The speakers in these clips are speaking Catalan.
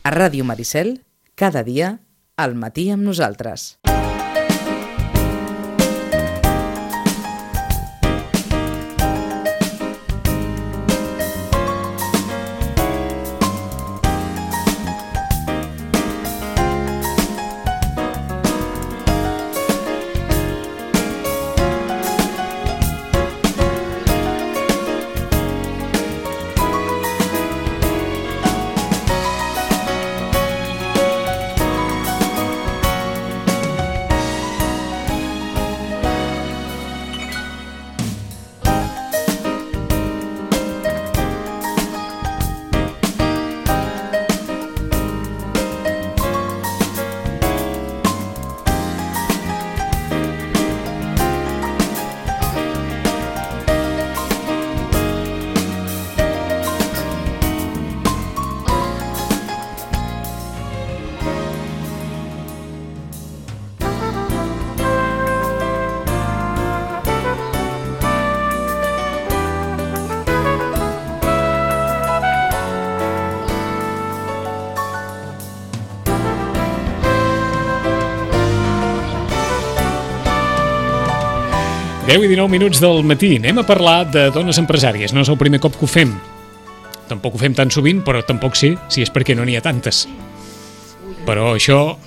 A Ràdio Maricel, cada dia, al matí amb nosaltres. Deu i 19 minuts del matí. Anem a parlar de dones empresàries. No és el primer cop que ho fem. Tampoc ho fem tan sovint, però tampoc sé si és perquè no n'hi ha tantes. Però això,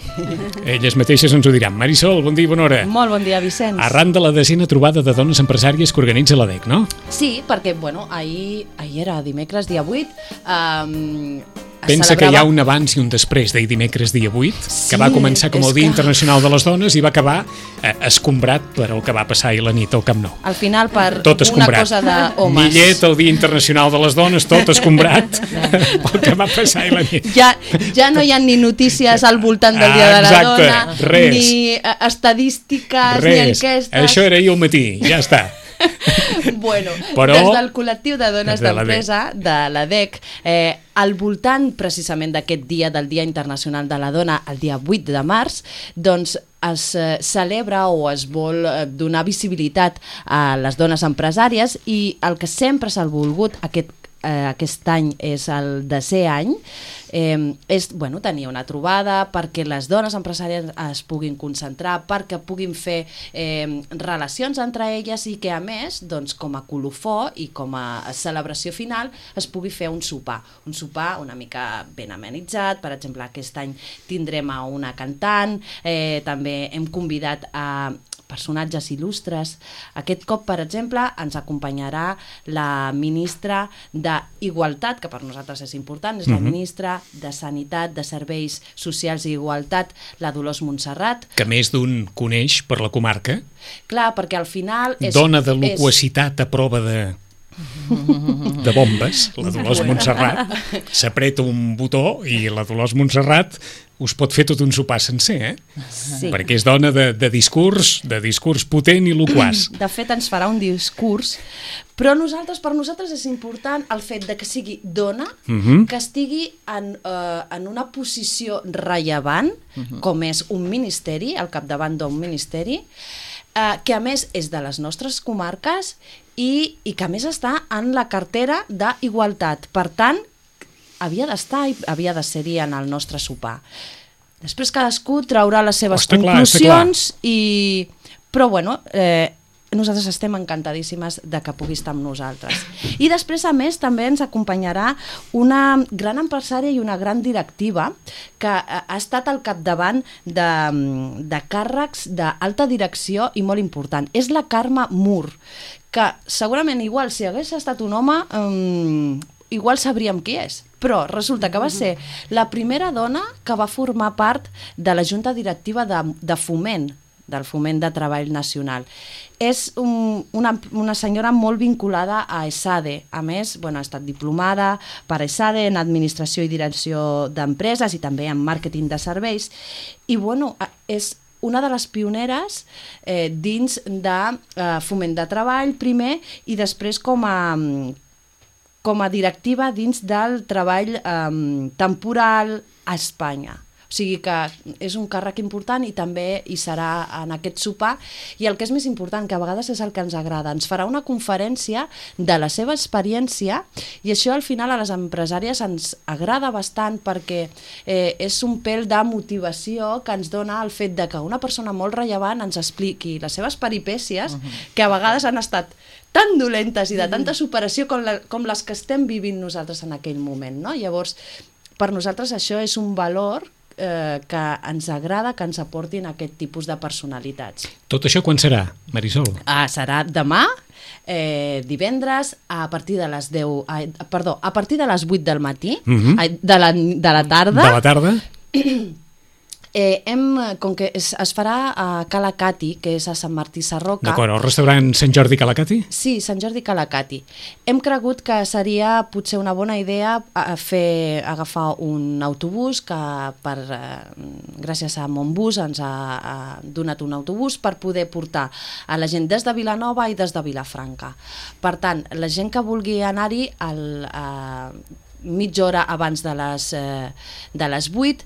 elles mateixes ens ho diran. Marisol, bon dia i bona hora. Molt bon dia, Vicenç. Arran de la 10ª trobada de dones empresàries que organitza l'ADEC, no? Sí, perquè, ahir era dimecres, dia 8, Pensa que hi ha un abans i un després d'ahir dimecres dia 8, que va començar com el Dia Internacional de les Dones i va acabar escombrat per el que va passar ahir la nit al Camp Nou. Al final, per tot una cosa d'homes. Millet, el Dia Internacional de les Dones, tot escombrat pel que va passar ahir la nit. Ja no hi ha ni notícies al voltant del Dia de la Dona, res. ni estadístiques, res. ni enquestes. Això era ahir al matí, ja està. Però, des del col·lectiu de dones d'empresa de l'ADEC, al voltant precisament d'aquest dia, del Dia Internacional de la Dona, el dia 8 de març, doncs es celebra o es vol donar visibilitat a les dones empresàries, i el que sempre s'ha volgut aquest any és el 10è any, és tenir una trobada perquè les dones empresàries es puguin concentrar, perquè puguin fer relacions entre elles, i que a més, doncs, com a colofó i com a celebració final es pugui fer un sopar una mica ben amenitzat. Per exemple, aquest any tindrem a una cantant, també hem convidat a personatges il·lustres. Aquest cop, per exemple, ens acompanyarà la ministra d'Igualtat, que per nosaltres és important, és la ministra de Sanitat, de Serveis Socials i Igualtat, la Dolors Montserrat. Que més d'un coneix per la comarca. Clar, perquè al final... Dona de loquacitat a prova de bombes, la Dolors Montserrat. S'apreta un botó i la Dolors Montserrat us pot fer tot un sopar sencer, Sí. Perquè és dona de discurs potent i loquaç. De fet, ens farà un discurs, però per nosaltres és important el fet de que sigui dona, que estigui en una posició rellevant, com és un ministeri, al capdavant d'un ministeri, que a més és de les nostres comarques i que a més està en la cartera d'Igualtat. Per tant, havia d'estar i havia de ser-hi en el nostre sopar. Després cadascú traurà les seves conclusions, però nosaltres estem encantadíssimes de que pugui estar amb nosaltres. I després, a més, també ens acompanyarà una gran empresària i una gran directiva que ha estat al capdavant de càrrecs d'alta direcció i molt important. És la Carme Mur, que segurament igual si hagués estat un home igual sabríem qui és, però resulta que va ser la primera dona que va formar part de la junta directiva de Foment, del Foment de Treball Nacional. És una senyora molt vinculada a ESADE. A més, ha estat diplomada per ESADE en Administració i Direcció d'Empreses i també en Màrqueting de Serveis. I és una de les pioneres dins de Foment de Treball, primer, i després com a directiva dins del treball temporal a Espanya. O sigui que és un càrrec important i també hi serà en aquest sopar. I el que és més important, que a vegades és el que ens agrada, ens farà una conferència de la seva experiència i això al final a les empresàries ens agrada bastant perquè és un pèl de motivació que ens dona el fet de que una persona molt rellevant ens expliqui les seves peripècies que a vegades han estat tan dolentes i de tanta superació com les que estem vivint nosaltres en aquell moment, no? Llavors, per nosaltres això és un valor que ens agrada que ens aportin aquest tipus de personalitats. Tot això quan serà, Marisol? Serà demà, divendres, a partir de les 10... Perdó, a partir de les 8 del matí, de la tarda. De la tarda? Com que es farà a Calacati, que és a Sant Martí Sarroca. D'acord, al restaurant Sant Jordi Calacati? Sí, Sant Jordi Calacati. Hem cregut que seria potser una bona idea agafar un autobús que gràcies a Montbus ens ha donat un autobús per poder portar a la gent des de Vilanova i des de Vilafranca. Per tant, la gent que vulgui anar-hi mitja hora abans de les 8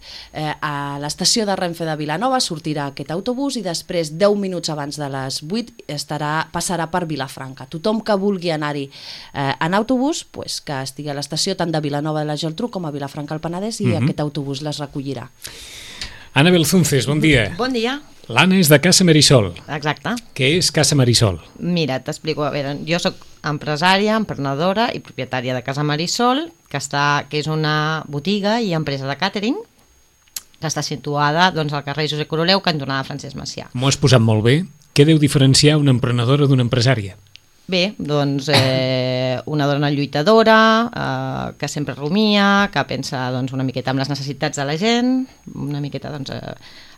a l'estació de Renfe de Vilanova sortirà aquest autobús i després 10 minuts abans de les 8 passarà per Vilafranca. Tothom que vulgui anar-hi en autobús, que estigui a l'estació tant de Vilanova de la Geltrú com a Vilafranca al Penedès i aquest autobús les recollirà. Anna Belzunces, bon dia. Bon dia. L'Anna és de Casa Marisol. Exacte. Què és Casa Marisol? Mira, t'explico. A veure, jo soc empresària, emprenedora i propietària de Casa Marisol, que és una botiga i empresa de càtering que està situada al carrer Josep Coroleu, cantonada Francesc Macià. M'ho has posat molt bé. Què deu diferenciar una emprenedora d'una empresària? Bé, una dona lluitadora, que sempre rumia, que pensa una miqueta en les necessitats de la gent, una miqueta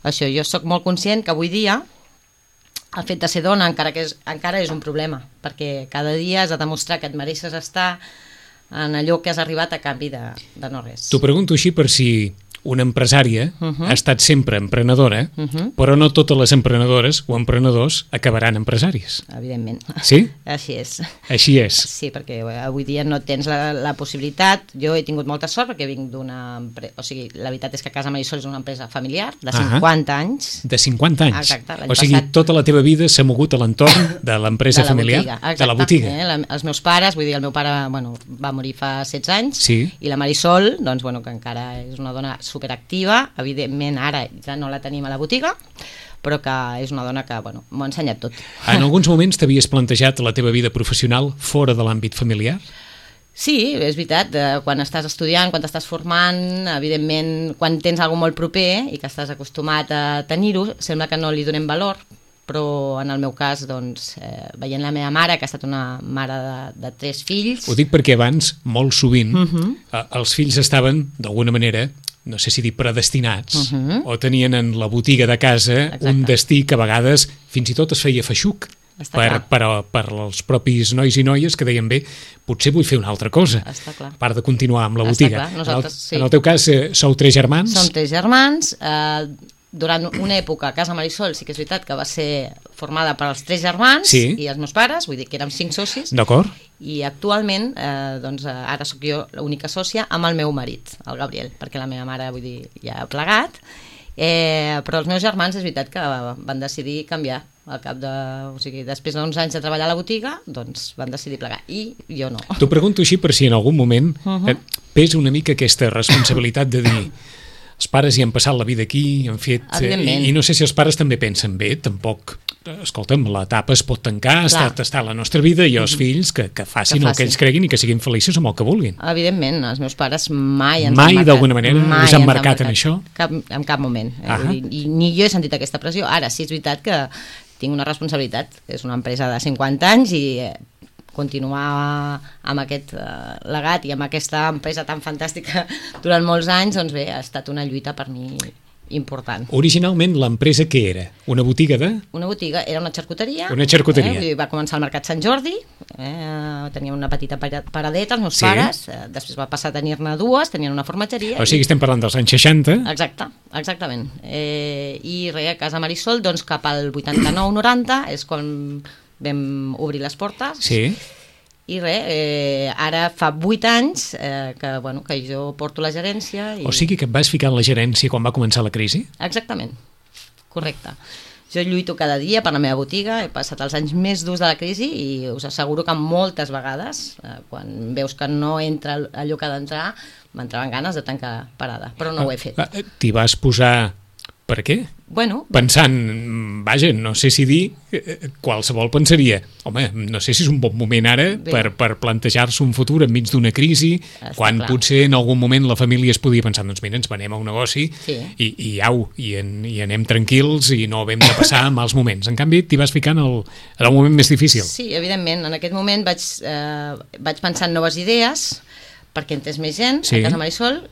això. Jo sóc molt conscient que avui dia el fet de ser dona encara és un problema, perquè cada dia has de demostrar que et mereixes estar en allò que has arribat a canvi de no res. T'ho pregunto així per si una empresària ha estat sempre emprenedora, però no totes les emprenedores o emprenedors acabaran empresaris. Evidentment. Sí? Així és. Així és. Sí, perquè avui dia no tens la possibilitat. Jo he tingut molta sort perquè vinc d'una empresa... O sigui, la veritat és que Casa Marisol és una empresa familiar de 50 anys. De 50 anys? Exacte. O sigui, tota la teva vida s'ha mogut a l'entorn de l'empresa familiar? De la botiga. Els meus pares, vull dir, el meu pare va morir fa 16 anys i la Marisol, que encara és una dona superactiva, evidentment ara ja no la tenim a la botiga, però que és una dona que m'ho ha ensenyat tot. En alguns moments t'havies plantejat la teva vida professional fora de l'àmbit familiar? Sí, és veritat, quan estàs estudiant, quan t'estàs formant, evidentment quan tens alguna molt proper i que estàs acostumat a tenir-ho, sembla que no li donem valor, però en el meu cas, veient la meva mare, que ha estat una mare de 3 fills... Ho dic perquè abans, molt sovint, els fills estaven, d'alguna manera, no sé si dir predestinats, o tenien en la botiga de casa un destí que a vegades fins i tot es feia feixuc per als propis nois i noies que deien, bé, potser vull fer una altra cosa, a part de continuar amb la botiga. En el teu cas, sou 3 germans? Som 3 germans. Durant una època, Casa Marisol sí que és veritat que va ser formada per els 3 germans i els meus pares, vull dir que érem 5 socis. D'acord. I actualment, ara sóc jo l'única sòcia amb el meu marit, el Gabriel, perquè la meva mare, vull dir, ja ha plegat. Però els meus germans és veritat que van decidir canviar al cap de... O sigui, després d'11 anys de treballar a la botiga, doncs van decidir plegar. I jo no. T'ho pregunto així per si en algun moment pesa una mica aquesta responsabilitat de dir... Els pares hi han passat la vida aquí, han fet... I no sé si els pares també pensen bé, tampoc... Escolta'm, l'etapa es pot tancar, ha estat la nostra vida i els fills que facin el que ells creguin i que siguin feliços amb el que vulguin. Evidentment, els meus pares mai ens han marcat. Mai, d'alguna manera, us han marcat en això? En cap moment. I ni jo he sentit aquesta pressió. Ara sí és veritat que tinc una responsabilitat. És una empresa de 50 anys i... continuar amb aquest legat i amb aquesta empresa tan fantàstica durant molts anys, doncs bé, ha estat una lluita per mi important. Originalment l'empresa què era? Una botiga de...? Una botiga, era una xarcuteria. Una xarcuteria. Va començar al Mercat Sant Jordi, tenia una petita paradeta, els meus pares, després va passar a tenir-ne 2, tenien una formatgeria... O sigui, estem parlant dels anys 60. Exactament. I res, a Casa Marisol, doncs cap al 89-90 és quan vam obrir les portes I res, ara fa 8 anys que jo porto la gerència. O sigui que et vas ficar en la gerència quan va començar la crisi? Exactament, correcte. Jo lluito cada dia per la meva botiga, he passat els anys més durs de la crisi i us asseguro que moltes vegades, quan veus que no entra allò que ha d'entrar, m'entraven ganes de tancar parada, però no ho he fet. T'hi vas posar... Per què? Bueno, pensant, vaja, no sé si dir, qualsevol pensaria, home, no sé si és un bon moment ara per plantejar-se un futur enmig d'una crisi, quan potser en algun moment la família es podia pensar, doncs mira, ens venem a un negoci i anem tranquils i no hem de passar mals moments. En canvi, t'hi vas ficar en el moment més difícil. Sí, evidentment, en aquest moment vaig pensar en noves idees perquè entrés més gent a Casa Marisol.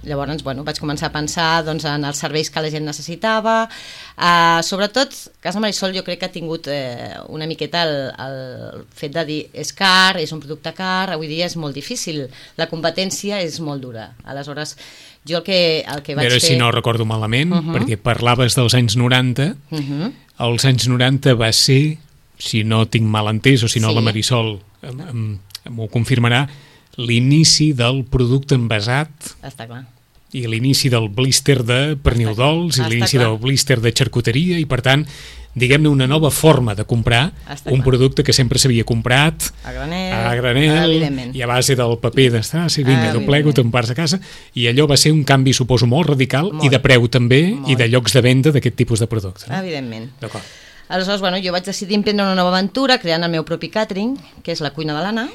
Llavors, vaig començar a pensar en els serveis que la gent necessitava. Sobretot, Casa Marisol jo crec que ha tingut una miqueta el fet de dir és car, és un producte car, avui dia és molt difícil, la competència és molt dura. Aleshores, jo el que vaig fer... Però si no recordo malament, perquè parlaves dels anys 90, els anys 90 va ser, si no tinc mal entès, o si no la Marisol m'ho confirmarà, l'inici del producte envasat. Està clar. I l'inici del blíster de pernil dolç i l'inici del blíster de xarcuteria i, per tant, diguem-ne, una nova forma de comprar un producte que sempre s'havia comprat a granel i a base del paper d'estar, vinga, t'ho plego, te'n pars a casa, i allò va ser un canvi, suposo, molt radical i de preu també i de llocs de venda d'aquest tipus de producte. Evidentment. D'acord. Aleshores, jo vaig decidir emprendre una nova aventura creant el meu propi càtering, que és la cuina de l'Anna,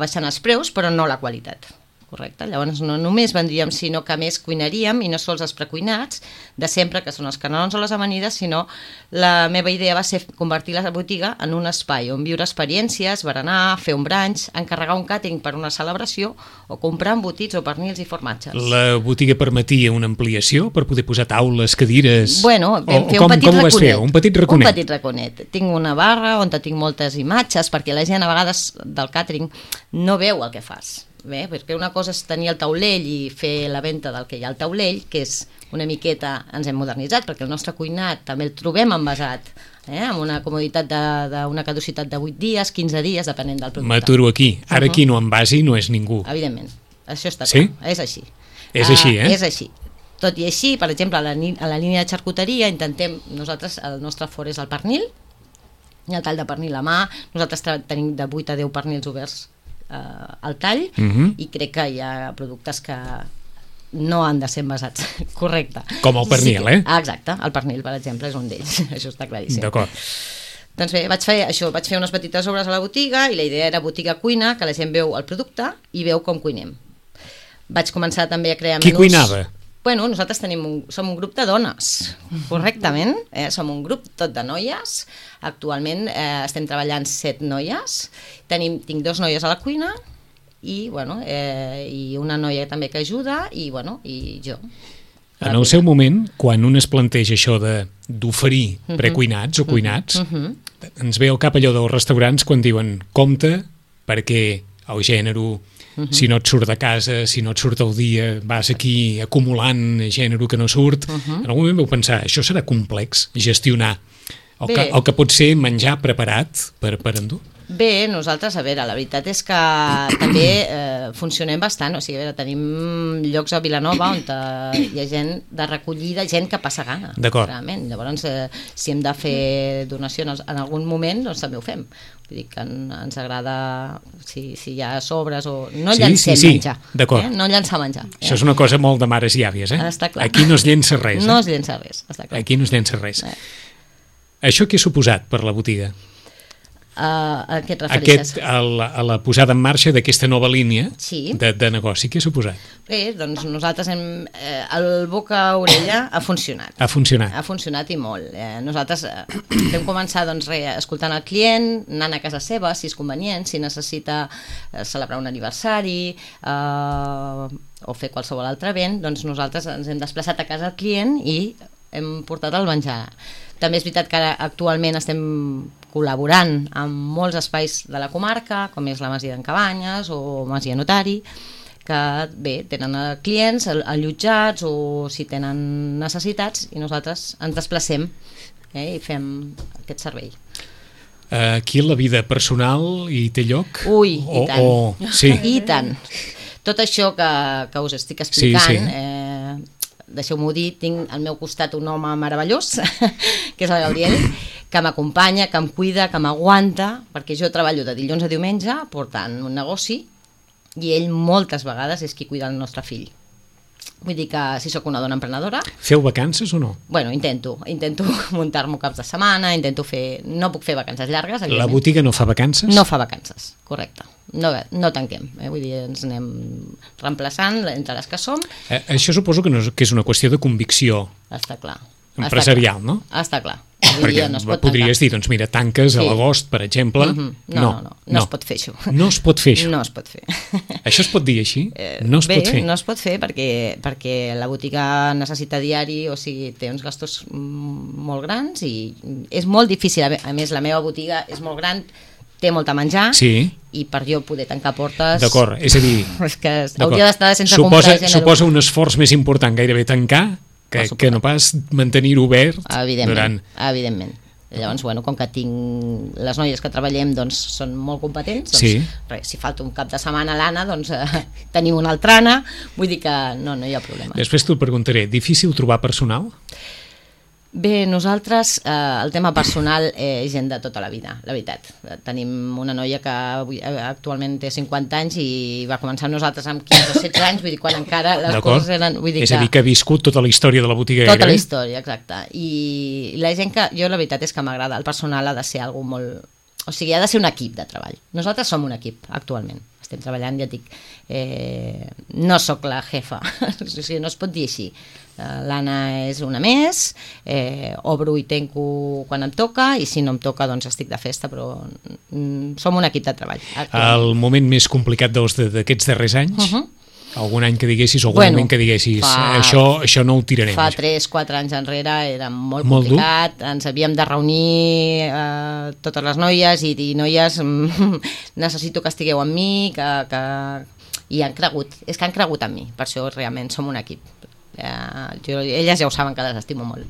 baixant els preus, però no la qualitat. Correcte. Llavors no només vendríem, sinó que a més cuinaríem, i no sols els precuinats de sempre, que són els canelons o les amanides, sinó la meva idea va ser convertir la botiga en un espai on viure experiències, berenar, fer un brunch, encarregar un càtering per una celebració o comprar embotits o pernils i formatges. La botiga permetia una ampliació per poder posar taules, cadires... Vam fer un petit raconet. Com ho vas fer? Un petit raconet? Un petit raconet. Tinc una barra on tinc moltes imatges, perquè la gent a vegades del càtering no veu el que fas. Perquè una cosa és tenir el taulell i fer la venda del que hi ha al taulell, que és una miqueta, ens hem modernitzat, perquè el nostre cuinat també el trobem envasat, amb una comoditat d'una caducitat de 8 dies, 15 dies, depenent del producte. M'aturo aquí. Ara qui no envasi no és ningú. Evidentment. Això està clar. És així. És així, És així. Tot i així, per exemple, a la línia de xarcuteria intentem, nosaltres, el nostre fort és el pernil, el tall de pernil a mà, nosaltres tenim de 8 a 10 pernils oberts al tall, i crec que hi ha productes que no han de ser envasats. Correcte. Com el pernil, Exacte, el pernil, per exemple, és un d'ells. Això està claríssim. D'acord. Doncs bé, vaig fer unes petites obres a la botiga i la idea era botiga-cuina, que la gent veu el producte i veu com cuinem. Vaig començar també a crear menús... Qui cuinava? Nosaltres som un grup de dones, correctament, som un grup tot de noies, actualment estem treballant 7 noies, tinc 2 noies a la cuina i una noia també que ajuda i jo. En el seu moment, quan un es planteja això d'oferir precuinats o cuinats, ens ve al cap allò dels restaurants quan diuen compte perquè el gènere... Si no et surt de casa, si no et surt el dia, vas aquí acumulant gènere que no surt. En algun moment vau pensar, això serà complex, gestionar el que pot ser menjar preparat per endur? Bé, nosaltres, a veure, la veritat és que també funcionem bastant, o sigui, a veure, tenim llocs a Vilanova on hi ha gent de recollida, gent que passa gana. D'acord. Realment. Llavors, si hem de fer donacions en algun moment, doncs també ho fem. Vull dir que ens agrada, si hi ha sobres o... No llancem menjar. D'acord. No llançar menjar. Això és una cosa molt de mares i àvies, Està clar. Aquí no es llença res. No es llença res, està clar. Aquí no es llença res. Això què ha suposat per la botiga? A què et refereixes? A la posada en marxa d'aquesta nova línia de negoci. Què ha suposat? Bé, doncs nosaltres el boca-orella ha funcionat. Ha funcionat. Ha funcionat i molt. Nosaltres vam començar escoltant el client, anant a casa seva, si és convenient, si necessita celebrar un aniversari o fer qualsevol altre event, doncs nosaltres ens hem desplaçat a casa del client i hem portat el menjar. També és veritat que actualment estem col·laborant amb molts espais de la comarca, com és la Masia d'en Cabanyes o Masia Notari, que bé, tenen clients allotjats o si tenen necessitats i nosaltres ens desplacem i fem aquest servei. Aquí la vida personal hi té lloc? Ui, i tant. Sí. I tant. Tot això que us estic explicant, deixeu-m'ho dir, tinc al meu costat un home meravellós, que és el Gabriel, que m'acompanya, que em cuida, que m'aguanta, perquè jo treballo de dilluns a diumenge portant un negoci i ell moltes vegades és qui cuida el nostre fill. Vull dir que si sóc una dona emprenedora... Feu vacances o no? Bueno, intento muntar-m'ho caps de setmana, no puc fer vacances llargues, evidentment. La botiga no fa vacances? No fa vacances, correcte. No tanquem, vull dir, ens anem reemplaçant entre les que som. Això suposo que és una qüestió de convicció Està clar. empresarial, no? Està clar. Perquè podries dir, doncs mira, tanques a l'agost, per exemple. No es pot fer això. No es pot fer això? No es pot fer. Això es pot dir així? No es pot fer? No es pot fer perquè la botiga necessita diari, o sigui, té uns gastos molt grans i és molt difícil. A més, la meva botiga és molt gran, té molt a menjar, i per jo poder tancar portes... D'acord, és a dir... És que hauria d'estar sense comprar gent... Suposa un esforç més important gairebé tancar que no pas mantenir-ho obert durant... Evidentment. Llavors, bueno, com que tinc les noies que treballem, doncs són molt competents, doncs si falta un cap de setmana l'Anna, doncs tenim una altra Anna, vull dir que no hi ha problema. Després t'ho preguntaré, difícil trobar personal? Bé, nosaltres, el tema personal és gent de tota la vida, la veritat. Tenim una noia que actualment té 50 anys i va començar amb nosaltres amb 15 o 16 anys, vull dir, quan encara les coses eren... És a dir, que ha viscut tota la història de la botiga. Tota la història, exacte. I la gent que... Jo la veritat és que m'agrada, el personal ha de ser algú molt... O sigui, ha de ser un equip de treball. Nosaltres som un equip, actualment. Estem treballant, ja et dic, no sóc la jefa, o sigui, no es pot dir així. L'Anna és una més, obro i tanco quan em toca, i si no em toca doncs estic de festa, però som un equip de treball. El moment més complicat d'aquests darrers anys? Algun any que diguessis, o algun moment que diguessis això no ho tirarem? Fa 3-4 anys enrere era molt complicat, ens havíem de reunir totes les noies i dir, noies, necessito que estigueu amb mi, i han cregut, és que han cregut en mi, per això realment som un equip. Elles ja ho saben que les estimo molt.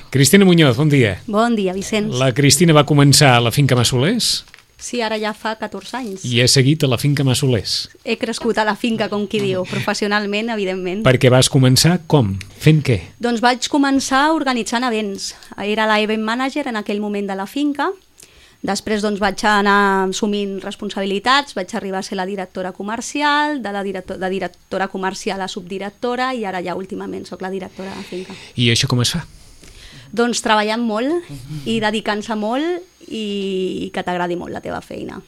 Cristina Muñoz, bon dia. Bon dia, Vicenç. La Cristina va començar a la finca Massolers? Sí, ara ja fa 14 anys. I he seguit a la finca Massolers? He crescut a la finca, com qui diu, professionalment, evidentment. Perquè vas començar com? Fent què? Doncs vaig començar organitzant events. Era la event manager en aquell moment de la finca. Després doncs, vaig anar assumint responsabilitats, vaig arribar a ser la directora comercial, de directora comercial a subdirectora, i ara ja últimament sóc la directora de la finca. I això com es fa? Doncs treballant molt i dedicant-se molt i que t'agradi molt la teva feina.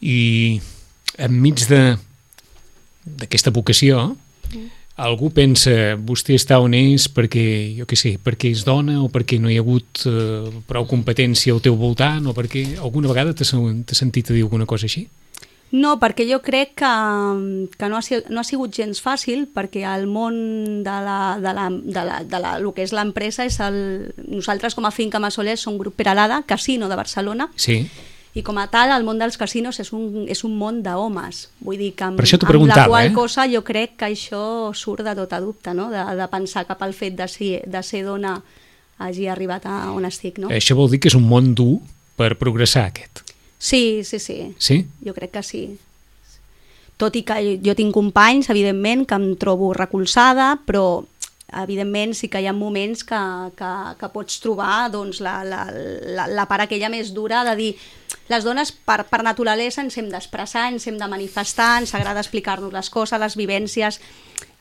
I enmig d'aquesta vocació, algú pensa, vostè està on és perquè, jo què sé, perquè és dona o perquè no hi ha hagut prou competència al teu voltant, o perquè alguna vegada t'has sentit a dir alguna cosa així? No, perquè jo crec que no ha sigut gens fàcil, perquè el món el que és l'empresa és nosaltres com a Finca Massolers som Grup Peralada, casino de Barcelona, i com a tal el món dels casinos és un món d'homes, vull dir que amb la qual cosa jo crec que això surt de tota dubte, no? De pensar cap al fet de ser dona hagi arribat a on estic, no? Això vol dir que és un món dur per progressar, aquest? Sí. Sí? Jo crec que sí. Tot i que jo tinc companys, evidentment, que em trobo recolzada, però evidentment sí que hi ha moments que pots trobar doncs, la part aquella més dura de dir les dones per naturalesa ens hem d'expressar, ens hem de manifestar, ens agrada explicar-nos les coses, les vivències.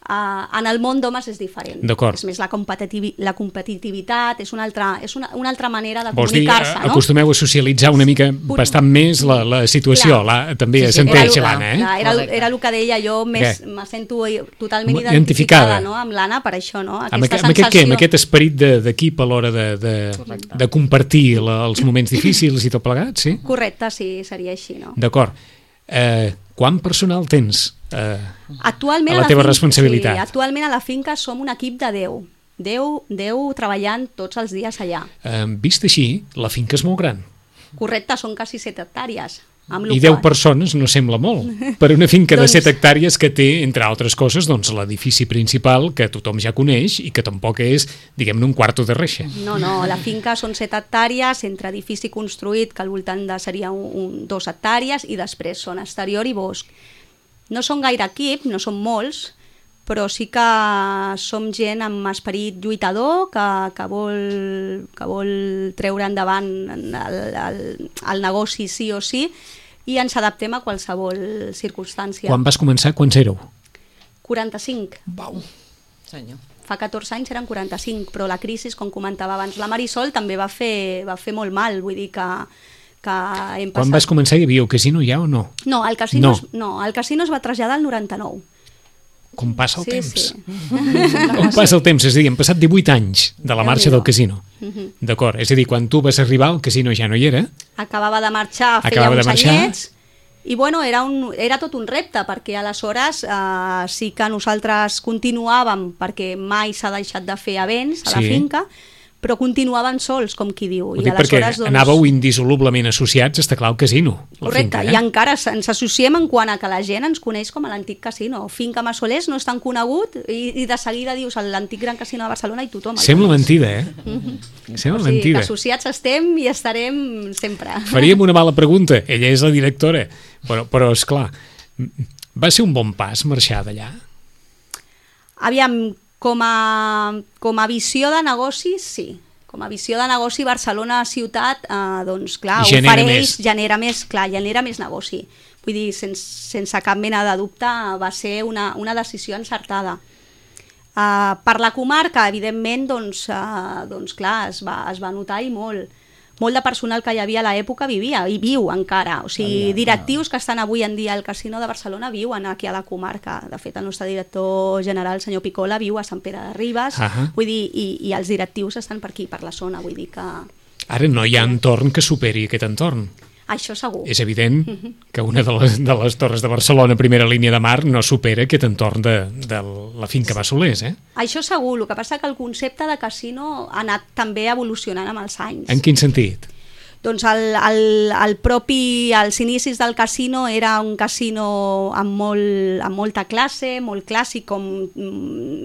En el món d'homes és diferent. És més la competitivitat, és una altra manera de comunicar-se. Acostumeu a socialitzar una mica bastant més la situació, també senteix l'Anna. Era el que deia, jo me sento totalment identificada amb l'Anna per això, amb aquest esperit d'equip a l'hora de compartir els moments difícils i tot plegat, sí? Correcte, sí, seria així. D'acord. Quant personal tens a la teva responsabilitat? Sí, actualment a la finca som un equip de 10 treballant tots els dies allà. Vist així, la finca és molt gran. Correcte, són quasi 7 hectàrees. I 10 persones no sembla molt. Per una finca de 7 hectàrees que té, entre altres coses, doncs, l'edifici principal que tothom ja coneix i que tampoc és, diguem-ne, un quarto de reixa. No, la finca són 7 hectàrees, entre edifici construït, que al voltant seria 2 hectàrees, i després són exterior i bosc. No són gaire equip, no són molts, però sí que som gent amb esperit lluitador que vol treure endavant el negoci sí o sí, i ens adaptem a qualsevol circumstància. Quan vas començar, quants éreu? 45. Vau. Senyor. Fa 14 anys eren 45, però la crisi, com comentava abans la Marisol, també va fer molt mal, vull dir que hem passat... Quan vas començar hi havia el casino ja o no? No, el casino es va traslladar al 99. Com passa el temps. Sí. Com passa el temps, és a dir, han passat 18 anys de la marxa del casino. D'acord, és a dir, quan tu vas arribar el casino ja no hi era. Acabava de marxar, feia uns anyets, i bueno, era tot un repte, perquè aleshores sí que nosaltres continuàvem, perquè mai s'ha deixat de fer events a la finca, però continuaven sols, com qui diu. Ho dic perquè anàveu indissolublement associats, està clar, al casino. Correcte, i encara ens associem en quant a que la gent ens coneix com a l'antic casino. Finca Massolers no és tan conegut i de seguida dius l'antic gran casino de Barcelona i tothom. Sembla mentida, Sembla mentida. Que associats estem i estarem sempre. Faríem una mala pregunta, ella és la directora, però esclar, va ser un bon pas marxar d'allà? Aviam, com a visió de negoci, sí. Com a visió de negoci, Barcelona ciutat, doncs clar, genera més negoci. Vull dir, sense cap mena de dubte, va ser una decisió encertada. Per la comarca, evidentment, doncs clar, es va notar i molt. Molt de personal que hi havia a l'època vivia i viu encara, o sigui, directius que estan avui en dia al Casino de Barcelona viuen aquí a la comarca. De fet, el nostre director general, senyor Picola, viu a Sant Pere de Ribes, vull dir, i els directius estan per aquí, per la zona, vull dir que... Ara no hi ha entorn que superi aquest entorn. Això segur. És evident que una de les torres de Barcelona, primera línia de mar, no supera aquest entorn de la finca Massolers, Això segur, el que passa que el concepte de casino ha anat també evolucionant amb els anys. En quin sentit? Doncs als inicis del casino era un casino amb molta classe, molt clàssic, com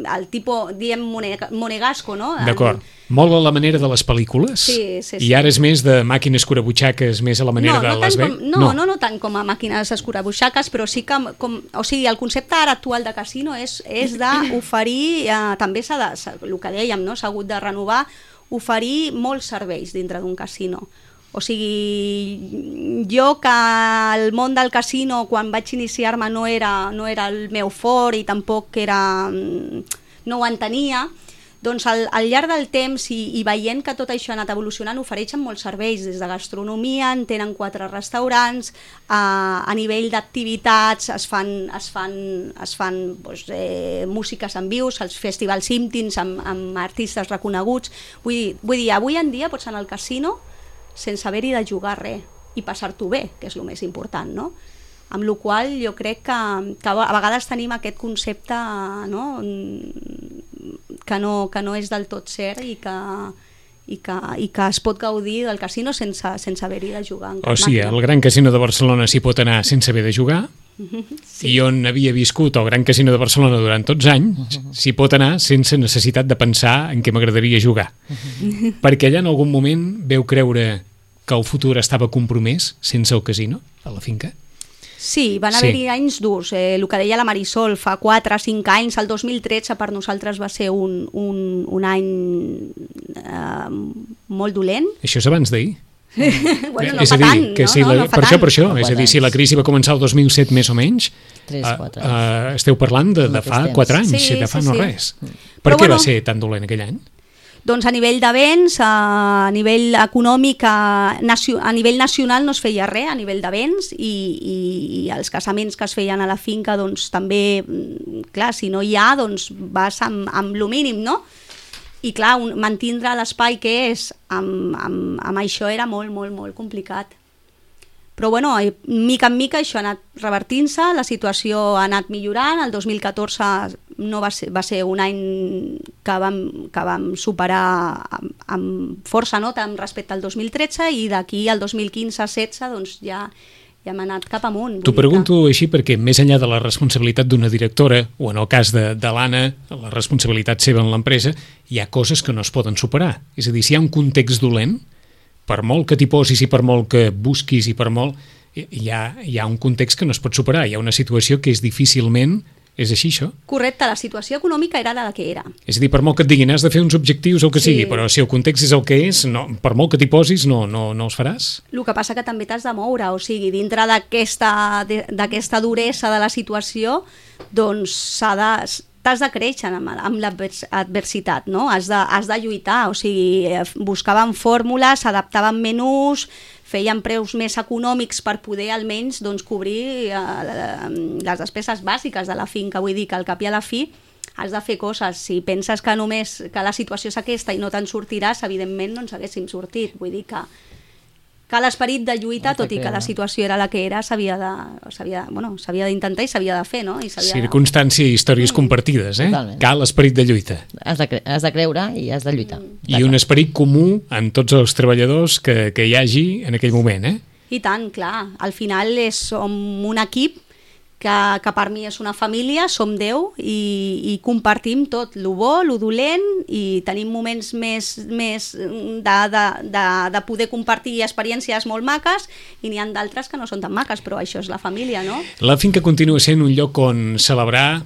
el tipus, diem, monegasco, no? D'acord. Molt a la manera de les pel·lícules? Sí. I ara és més de màquines escurabutxaques, més a la manera de Las Vegas? No tant com a màquines escurabutxaques, però sí que, o sigui, el concepte ara actual de casino és d'oferir, també el que dèiem, no? S'ha hagut de renovar, oferir molts serveis dintre d'un casino. O sigui, jo que el món del casino, quan vaig iniciar-me, no era el meu fort i tampoc no ho entenia, doncs al llarg del temps i veient que tot això ha anat evolucionant, ofereixen molts serveis, des de gastronomia, en tenen 4 restaurants, a nivell d'activitats es fan músiques en vius, els festivals íntims amb artistes reconeguts. Vull dir, avui en dia pots anar al casino sense haver-hi de jugar res i passar-t'ho bé, que és el més important, no? Amb la qual cosa jo crec que a vegades tenim aquest concepte, no? Que no és del tot cert i que es pot gaudir del casino sense haver-hi de jugar. O sigui, al Gran Casino de Barcelona s'hi pot anar sense haver de jugar, i on havia viscut el Gran Casino de Barcelona durant tots anys, s'hi pot anar sense necessitat de pensar en què m'agradaria jugar. Perquè allà en algun moment veu creure que el futur estava compromès sense el casino a la finca? Sí, van haver-hi anys durs. El que deia la Marisol, fa 4 o 5 anys, el 2013 per nosaltres va ser un any molt dolent. Això és abans d'ahir. Bueno, no fa tant, no? Per això, és a dir, si la crisi va començar el 2007 més o menys, 3-4 esteu parlant de fa 4 anys, de fa no res. Per què va ser tan dolent aquell any? Doncs a nivell de béns, a nivell econòmic, a nivell nacional no es feia res, a nivell de béns, i els casaments que es feien a la finca, doncs també, clar, si no hi ha, doncs vas amb lo mínim, no? I clar, mantindre l'espai que és amb això era molt, molt, molt complicat. Però bueno, mica en mica això ha anat revertint-se, la situació ha anat millorant, el 2014 va ser un any que vam superar amb força nota respecte al 2013, i d'aquí al 2015-16 doncs ja i hem anat cap amunt. T'ho pregunto així perquè més enllà de la responsabilitat d'una directora, o en el cas de l'Anna, la responsabilitat seva en l'empresa, hi ha coses que no es poden superar. És a dir, si hi ha un context dolent, per molt que t'hi posis i per molt que busquis i per molt... Hi ha un context que no es pot superar, hi ha una situació que és difícilment... És així, això? Correcte, la situació econòmica era la que era. És a dir, per molt que et diguin has de fer uns objectius o el que Sí. sigui, però si el context és el que és, no, per molt que t'hi posis, no els faràs. El que passa que també t'has de moure, o sigui, dintre d'aquesta duresa de la situació, doncs t'has de créixer amb l'adversitat, no? Has de lluitar, o sigui, buscaven fórmules, adaptaven menús, feien preus més econòmics per poder almenys doncs, cobrir les despeses bàsiques de la finca. Vull dir que al cap i a la fi has de fer coses. Si penses que només que la situació és aquesta i no te'n sortiràs, evidentment no ens haguéssim sortit. Vull dir que l'esperit de lluita, tot i que la situació era la que era, s'havia d'intentar i s'havia de fer, no? Circumstància i històries compartides, eh? Totalment. Cal esperit de lluita. Has de creure i has de lluitar. I un esperit comú en tots els treballadors que hi hagi en aquell moment, eh? I tant, clar. Al final som un equip que per mi és una família, som 10 i compartim tot, lo bo, lo dolent, i tenim moments més de poder compartir experiències molt maques, i n'hi ha d'altres que no són tan maques, però això és la família, no? La finca continua sent un lloc on celebrar,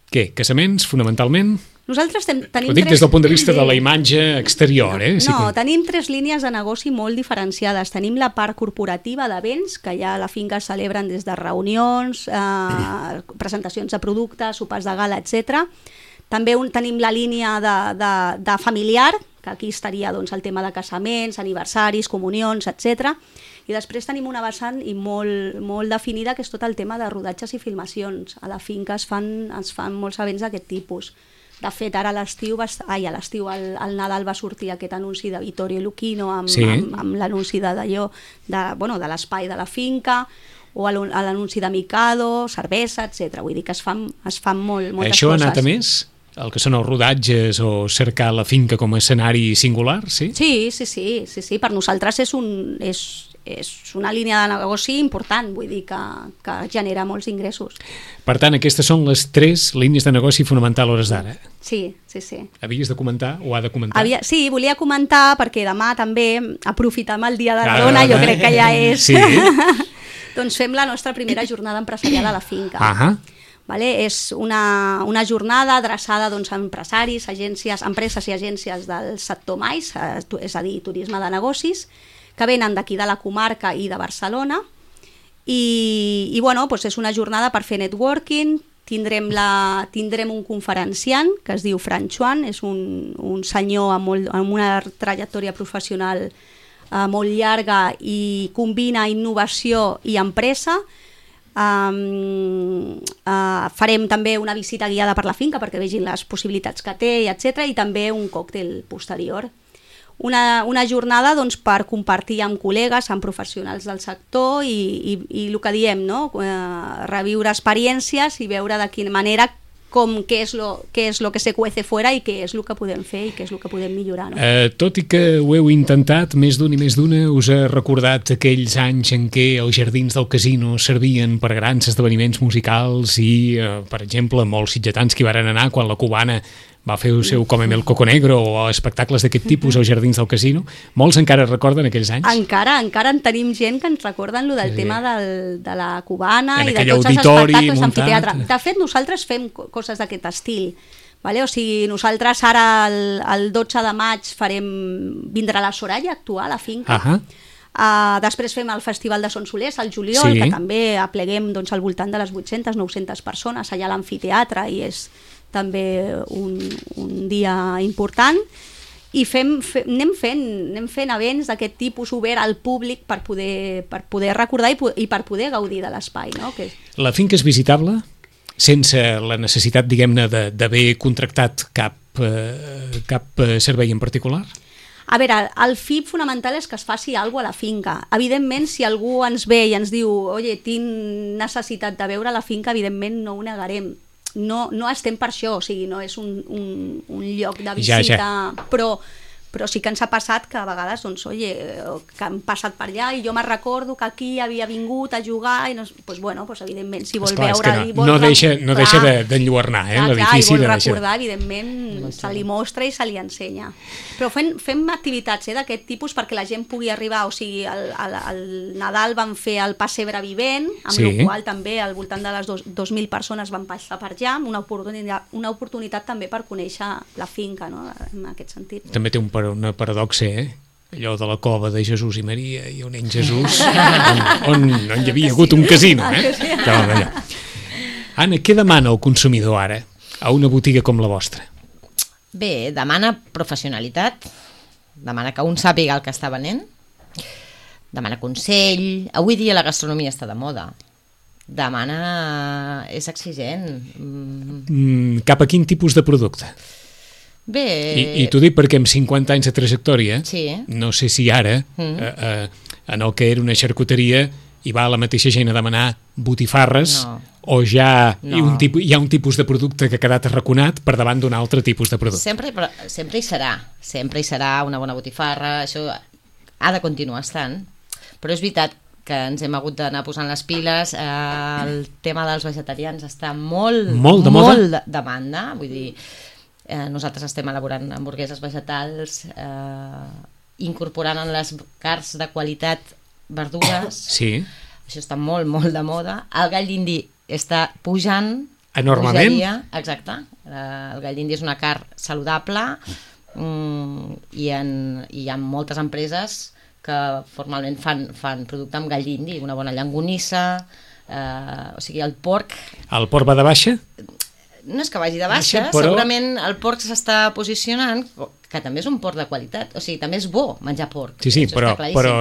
què? Casaments, fonamentalment? Nosaltres tenim Ho dic des del punt de vista de la imatge exterior, eh? No, tenim 3 línies de negoci molt diferenciades. Tenim la part corporativa d'events, que ja a la finca es celebren des de reunions, presentacions de productes, sopars de gala, etc. També tenim la línia de familiar, que aquí estaria doncs, el tema de casaments, aniversaris, comunions, etc. I després tenim una vessant i molt definida, que és tot el tema de rodatges i filmacions. A la finca es fan molts events d'aquest tipus. De fet, ara al Nadal va sortir aquest anunci de Vittorio Lucchino amb l'anunci de l'espai de la finca, o l'anunci de Mikado, cervesa, etc. Vull dir que es fan moltes coses. Això ha anat a més? El que són els rodatges o cercar la finca com a escenari singular, sí? Sí. Per nosaltres és una línia de negoci important, vull dir que genera molts ingressos. Per tant, aquestes són les 3 línies de negoci fonamental a hores d'ara. Sí. Havies de comentar o ha de comentar? Sí, volia comentar perquè demà també aprofitem el Dia de la Dona, jo crec que ja és... Sí. Doncs fem la nostra primera jornada empresarial a la finca. Vale? És una jornada adreçada doncs, a empresaris, empreses i agències del sector mais, és a dir, turisme de negocis, que venen d'aquí de la comarca i de Barcelona, i doncs és una jornada per fer networking. Tindrem un conferenciant que es diu Fran Chuan, és un senyor amb una trajectòria professional molt llarga i combina innovació i empresa. Farem també una visita guiada per la finca perquè vegin les possibilitats que té, etc. I també un còctel posterior. Una jornada doncs, per compartir amb col·legues, amb professionals del sector i el que diem, no? Reviure experiències i veure de quina manera què és lo que se cuece fuera i què és el que podem fer i què és el que podem millorar. No? Tot i que ho heu intentat, més d'un i més d'una us ha recordat aquells anys en què els jardins del casino servien per grans esdeveniments musicals i, per exemple, molts sitgetans que hi varen anar quan la cubana va fer el seu Cómeme el Coco Negro o espectacles d'aquest tipus als jardins del casino. Molts encara recorden aquells anys? Encara en tenim gent que ens recorden lo del tema de la cubana en i de tots els espectacles d'amfiteatre. De fet, nosaltres fem coses d'aquest estil. Vale? O sigui, nosaltres ara el 12 de maig vindrà la Soraya a actuar a la finca. Després fem el Festival de Son Solers al juliol, que també apleguem doncs, al voltant de les 800-900 persones allà a l'amfiteatre, i és també un dia important, i anem fent events d'aquest tipus obert al públic per poder recordar i per poder gaudir de l'espai. No? La finca és visitable sense la necessitat, diguem-ne, d'haver contractat cap servei en particular? A veure, el FIP fonamental és que es faci alguna cosa a la finca. Evidentment, si algú ens ve i ens diu «Oye, tinc necessitat de veure la finca», evidentment no ho negarem. No estem per això, o sigui, no és un lloc de visita, però però sí que ens ha passat que a vegades, doncs, que han passat per allà i jo me'n recordo que aquí havia vingut a jugar i doncs, evidentment, si vol veure... No deixa d'enlluernar, l'edifici. I vol recordar, evidentment, se li mostra i se li ensenya. Però fem activitats d'aquest tipus perquè la gent pugui arribar, o sigui, al Nadal van fer el pessebre vivent, amb el qual també al voltant de les 2.000 persones van passar per allà, una oportunitat també per conèixer la finca, no?, en aquest sentit. També té una paradoxa, allò de la cova de Jesús i Maria i on en Jesús, on hi havia hagut un casino, Anna, què demana el consumidor ara a una botiga com la vostra? Bé, demana professionalitat, demana que un sàpiga el que està venent, demana consell. Avui dia la gastronomia està de moda. És exigent. Cap a quin tipus de producte? Bé... I t'ho dic perquè amb 50 anys de trajectòria, no sé si ara, en el que era una xarcuteria, hi va la mateixa gent a demanar botifarres, o ja hi ha un tipus de producte que ha quedat arraconat per davant d'un altre tipus de producte. Sempre hi serà una bona botifarra, això ha de continuar estant, però és veritat que ens hem hagut d'anar posant les piles. El tema dels vegetarians està molt de demanda, vull dir, nosaltres estem elaborant hamburgueses vegetals, incorporant en les carns de qualitat verdures, això està molt de moda. El gall d'indi està pujant enormement. Exacte, el gall d'indi és una carn saludable, i hi ha moltes empreses que formalment fan producte amb gall d'indi, una bona llonganissa, o sigui, el porc... El porc va de baixa? No és que vagi de baixa, però... segurament el porc s'està posicionant, que també és un porc de qualitat, o sigui, també és bo menjar porc. Sí, però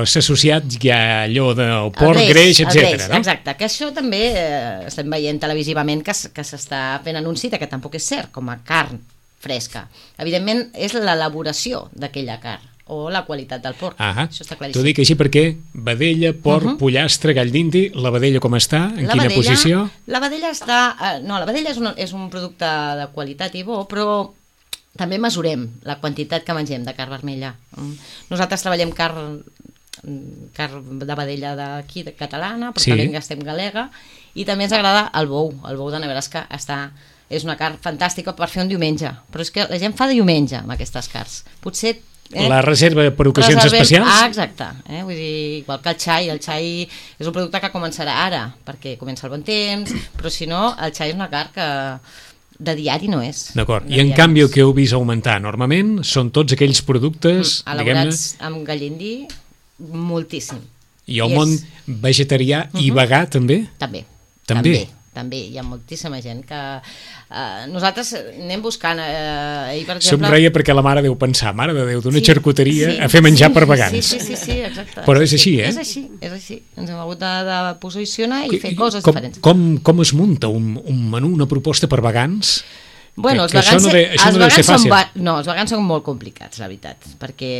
s'ha associat ja allò del porc, greix, etc. No? Exacte, que això també estem veient televisivament que s'està fent anunci que tampoc és cert com a carn fresca. Evidentment és l'elaboració d'aquella carn o la qualitat del porc. Això està claríssim. T'ho dic així perquè vedella, porc, pollastre, gall d'indi, la vedella com està? En quina posició? La vedella està... No, la vedella és un producte de qualitat i bo, però també mesurem la quantitat que mengem de carn vermella. Nosaltres treballem carn de vedella d'aquí, catalana, però també en gastem galega, i també ens agrada el bou de Nebraska. És una carn fantàstica per fer un diumenge, però és que la gent fa de diumenge amb aquestes carns. Potser la reserva per ocasions especials? Exacte, vull dir, igual que el xai és un producte que començarà ara, perquè comença el bon temps, però si no, el xai és una carn que de diari no és. D'acord, i en canvi el que heu vist augmentar enormement són tots aquells productes... elaborats amb gall d'indi, moltíssim. I el món vegetarià i vegà també? També hi ha moltíssima gent que nosaltres anem buscant per exemple... Somreia perquè la mare deu pensar, mare de Déu, d'una xarcuteria a fer menjar per vegans. Sí, exacte. Però és així, És així. Ens hem hagut de posicionar i fer coses diferents. Com es munta un menú, una proposta per vegans? Bueno, els vegans són molt complicats, la veritat, perquè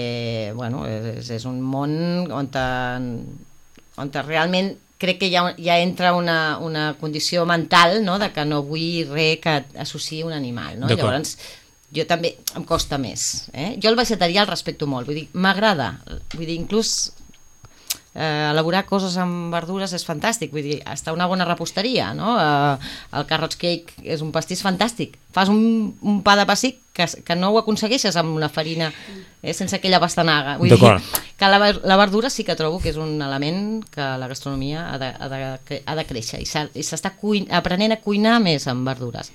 és un món on realment crec que ja entra una condició mental, no?, de que no vull res que associï un animal, no? Llavors jo també em costa més, Jo el vegetarià el respecto molt, vull dir, m'agrada, vull dir, inclús elaborar coses amb verdures és fantàstic, vull dir, està una bona reposteria, no? El carrot cake és un pastís fantàstic, fas un pa de pessic que no ho aconsegueixes amb una farina sense aquella pastanaga, vull dir que la verdura sí que trobo que és un element que la gastronomia ha de créixer i s'està aprenent a cuinar més amb verdures.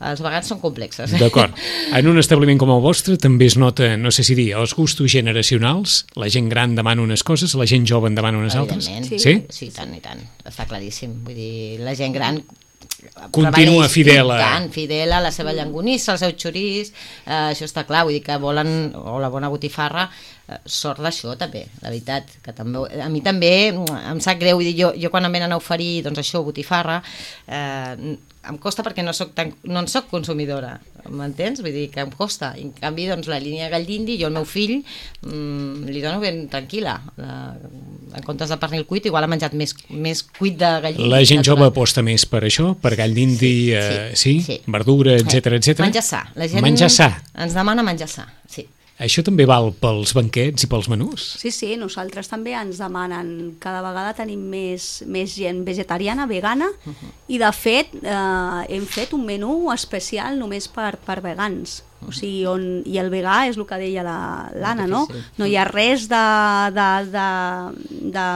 Els vegans són complexes. D'acord. En un establiment com el vostre també es nota, no sé si dir, els gustos generacionals, la gent gran demana unes coses, la gent jove en demana unes altres? Sí, tant i tant, està claríssim. Vull dir, la gent gran continua fidel a la seva llonganissa, al seu xoriç, això està clar, vull dir que volen, o la bona botifarra, sort d'això també, la veritat, que també, a mi també em sap greu, vull dir, jo quan em venen a oferir, doncs això, botifarra, em costa perquè no en soc consumidora, m'entens? Vull dir que em costa. En canvi, doncs, la línia gall d'indi, jo al meu fill li dono ben tranquil·la. En comptes de pernil cuit, igual ha menjat més cuit de gall d'indi. La gent jove aposta més per això? Per gall d'indi, verdura, etc. Menjar sa. La gent ens demana menjar sa, sí. Això també val pels banquets i pels menús? Sí, nosaltres també ens demanen, cada vegada tenim més gent vegetariana, vegana, i de fet hem fet un menú especial només per vegans. O sigui, i el vegà és el que deia l'Anna, no? No hi ha res de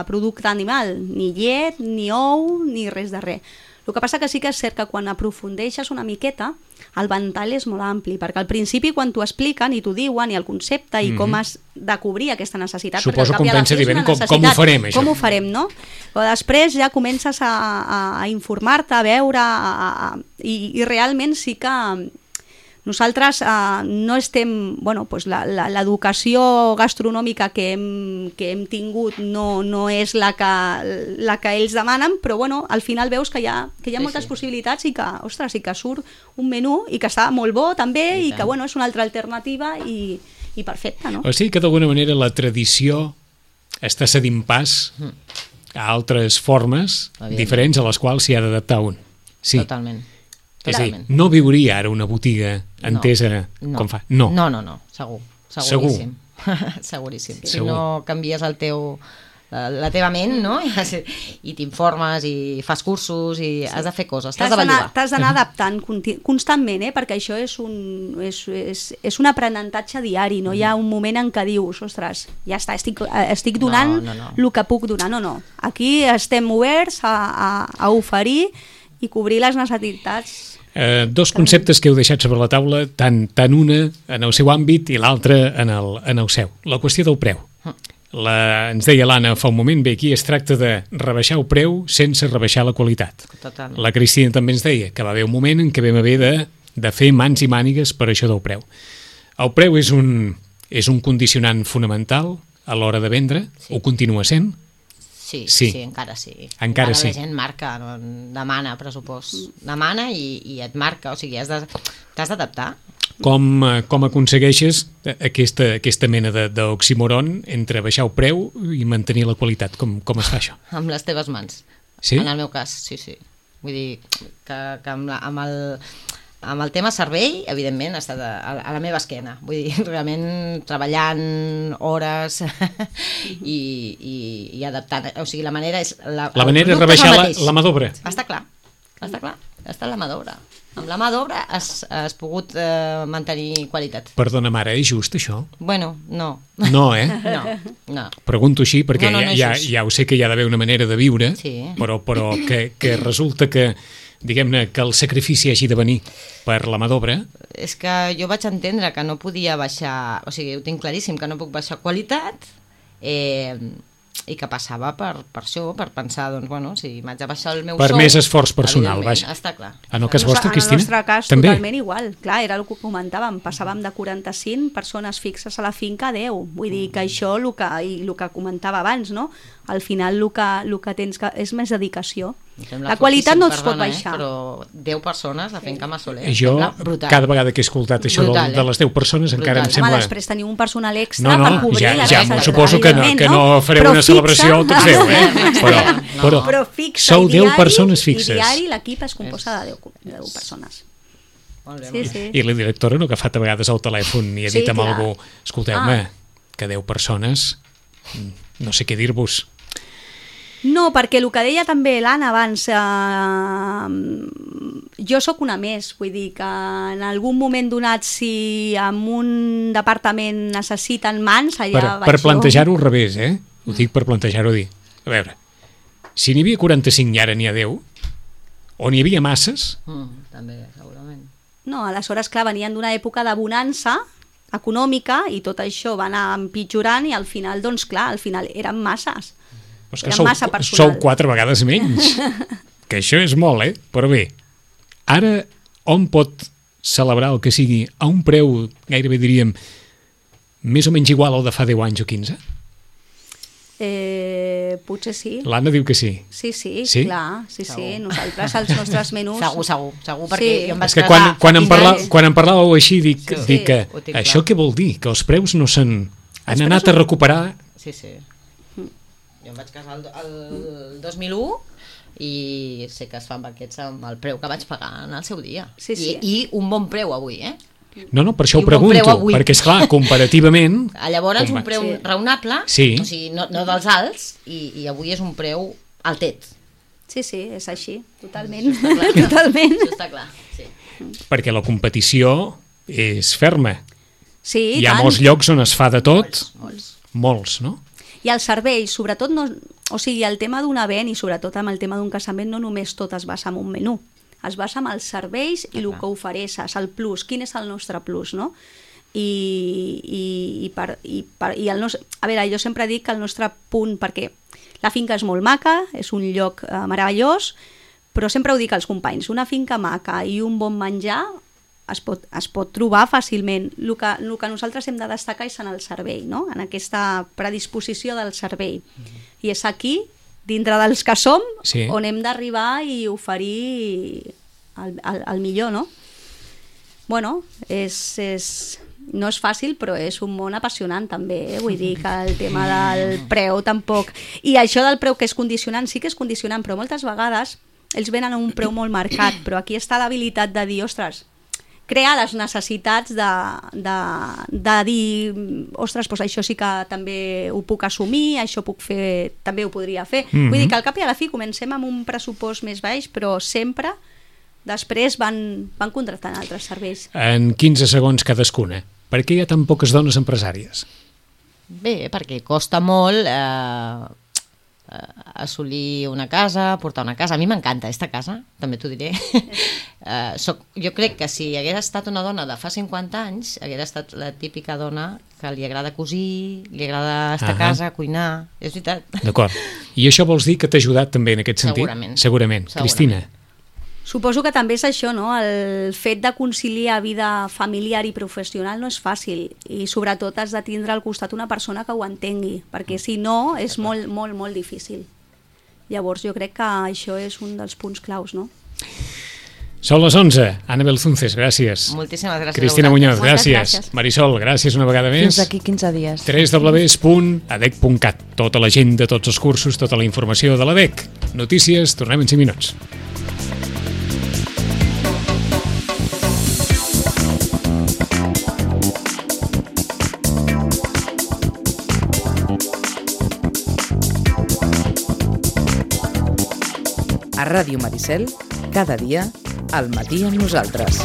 producte animal, ni llet, ni ou, ni res de res. El que passa que sí que és cert que quan aprofundeixes una miqueta, el ventall és molt ampli, perquè al principi quan t'ho expliquen i t'ho diuen, i el concepte, i com has de cobrir aquesta necessitat... Suposo que pensa dir, com ho farem, això? Com ho farem, no? Però després ja comences a informar-te, a veure, i realment sí que... Nosaltres no estem... Bueno, doncs l'educació gastronòmica que hem tingut no és la que ells demanen, però bueno, al final veus que hi ha moltes possibilitats i que, ostres, i que surt un menú i que està molt bo també i que bueno, és una altra alternativa i perfecta, no? O sigui que d'alguna manera la tradició està cedint pas a altres formes diferents a les quals s'hi ha d'adaptar un. Sí. Totalment. És a dir, no viuria ara una botiga entesa com fa. No, seguríssim. Seguríssim. Si no canvies la teva ment, no? I t'informes i fas cursos i has de fer coses, t'has de bellugar. T'has d'anar adaptant constantment, perquè això és un aprenentatge diari, no hi ha un moment en què dius, ostres, ja està, estic donant el que puc donar. No. Aquí estem oberts a oferir i cobrir les necessitats. Dos conceptes que heu deixat sobre la taula, tant una en el seu àmbit i l'altra en el seu. La qüestió del preu. Ens deia l'Anna fa un moment, bé, aquí es tracta de rebaixar el preu sense rebaixar la qualitat. Totalment. La Cristina també ens deia que va haver un moment en què vam haver de fer mans i mànigues per això del preu. El preu és un condicionant fonamental a l'hora de vendre, ho continua sent? Sí, encara sí. Encara sí. La gent marca, demana pressupost. Demana i et marca, o sigui, t'has d'adaptar. Com aconsegueixes aquesta mena d'oxímoron entre baixar el preu i mantenir la qualitat? Com es fa això? Amb les teves mans. Sí? En el meu cas, sí. Vull dir que amb el tema servei, evidentment, ha estat a la meva esquena. Vull dir, realment treballant hores i adaptant. O sigui, la manera és... La manera és rebaixar la mà d'obra. Està clar. Està la mà d'obra. Amb la mà d'obra has pogut mantenir qualitat. Perdona, mare, és just això? Bueno, no. No, eh? No. Pregunto així perquè ja ho sé que hi ha d'haver una manera de viure, però que resulta que diguem-ne que el sacrifici hagi de venir per la mà d'obra. És que jo vaig entendre que no podia baixar, o sigui, ho tinc claríssim, que no puc baixar qualitat, i que passava per això, per pensar, doncs, bueno, si m'haig de baixar el meu per més esforç personal, vaja. Està clar. En el cas vostre, Cristina? En el nostre cas, també? Totalment igual. Clar, era el que comentàvem, passàvem de 45 persones fixes a la finca a 10. Vull dir que això, el que comentava abans, no? Al final el que tens és més dedicació. La qualitat no es pot baixar. Però 10 persones a finca Massoler. Jo, cada vegada que he escoltat això de les 10 persones, encara em sembla... Home, després teniu un personal extra per cobrir les necessitats. Suposo que no fareu una celebració tots 10, però sou 10 persones fixes. I diari l'equip es composa de 10 persones. Sí. I la directora no ha agafat a vegades el telèfon i ha dit amb algú, escolteu-me, que 10 persones, no sé què dir-vos. No, perquè el que deia també l'Anna abans, jo sóc una més, vull dir que en algun moment donat, si en un departament necessiten mans, allà per plantejar-ho al revés, ho dic per plantejar-ho dir. A veure, si n'hi havia 45 i ara n'hi ha 10, o n'hi havia masses... També, segurament. No, aleshores, clar, venien d'una època de bonança econòmica i tot això va anar empitjorant i al final, doncs clar, al final eren masses. Però és que sou 4 vegades menys, que això és molt, però bé, ara on pot celebrar el que sigui a un preu, gairebé diríem, més o menys igual al de fa 10 anys o 15? Potser sí. L'Anna diu que sí. Sí, clar, sí. Nosaltres, els nostres menús... Segur, perquè jo em vaig és que quan em parlàveu així, dic que això què vol dir? Que els preus no han anat a recuperar... Sí. Jo em vaig casar el 2001 i sé que es fan banquets amb el preu que vaig pagar en el seu dia. Sí. I un bon preu avui, No, per això I ho un bon preu pregunto, avui. perquè, esclar, comparativament... Llavors, un preu raonable, Sí. o sigui, no dels alts, i avui és un preu altet. Sí, és així, totalment. Totalment. Això està clar, sí. Perquè la competició és ferma. Sí, Hi ha tant. molts llocs on es fa de tot. Molts, no? I els serveis, sobretot, no, o sigui, el tema d'un event i sobretot amb el tema d'un casament no només tot es basa en un menú, es basa en els serveis i el que ofereixes, el plus, quin és el nostre plus, no? I el nostre... A veure, jo sempre dic que el nostre punt, perquè la finca és molt maca, és un lloc meravellós, però sempre ho dic als companys, una finca maca i un bon menjar es pot trobar fàcilment. El que nosaltres hem de destacar és en el servei, no? En aquesta predisposició del servei. I és aquí, dintre dels que som, Sí. on hem d'arribar i oferir el millor, no? Bueno, no és fàcil, però és un món apassionant també, vull dir que el tema del preu tampoc... I això del preu que és condicionant, sí que és condicionant, però moltes vegades ells venen a un preu molt marcat, però aquí està l'habilitat de dir, ostres, crear les necessitats de dir, ostres, doncs això sí que també ho puc assumir, això puc fer, també ho podria fer. Vull dir que al cap i a la fi comencem amb un pressupost més baix, però sempre després van contractant altres serveis. En 15 segons cadascuna. Per què hi ha tan poques dones empresàries? Bé, perquè costa molt assolir una casa, portar una casa. A mi m'encanta aquesta casa, també t'ho diré. Jo crec que si hagués estat una dona de fa 50 anys, hagués estat la típica dona que li agrada cosir, li agrada estar a casa, cuinar. És veritat. D'acord. I això vols dir que t'ha ajudat també en aquest sentit? Segurament. Cristina? Suposo que també és això, no? El fet de conciliar vida familiar i professional no és fàcil i sobretot has de tindre al costat una persona que ho entengui, perquè si no és molt, molt, molt difícil. Llavors jo crec que això és un dels punts claus, no? Són les 11. Ana Belzunces, gràcies. Moltíssimes gràcies. Cristina Muñoz, Moltes gràcies. gràcies. Marisol, gràcies una vegada més. Fins aquí 15 dies. www.adec.cat. Tota l'agenda, tots els cursos, tota la informació de l'ADEC. Notícies, tornem en 5 minuts. A Ràdio Maricel, cada dia, al matí amb nosaltres.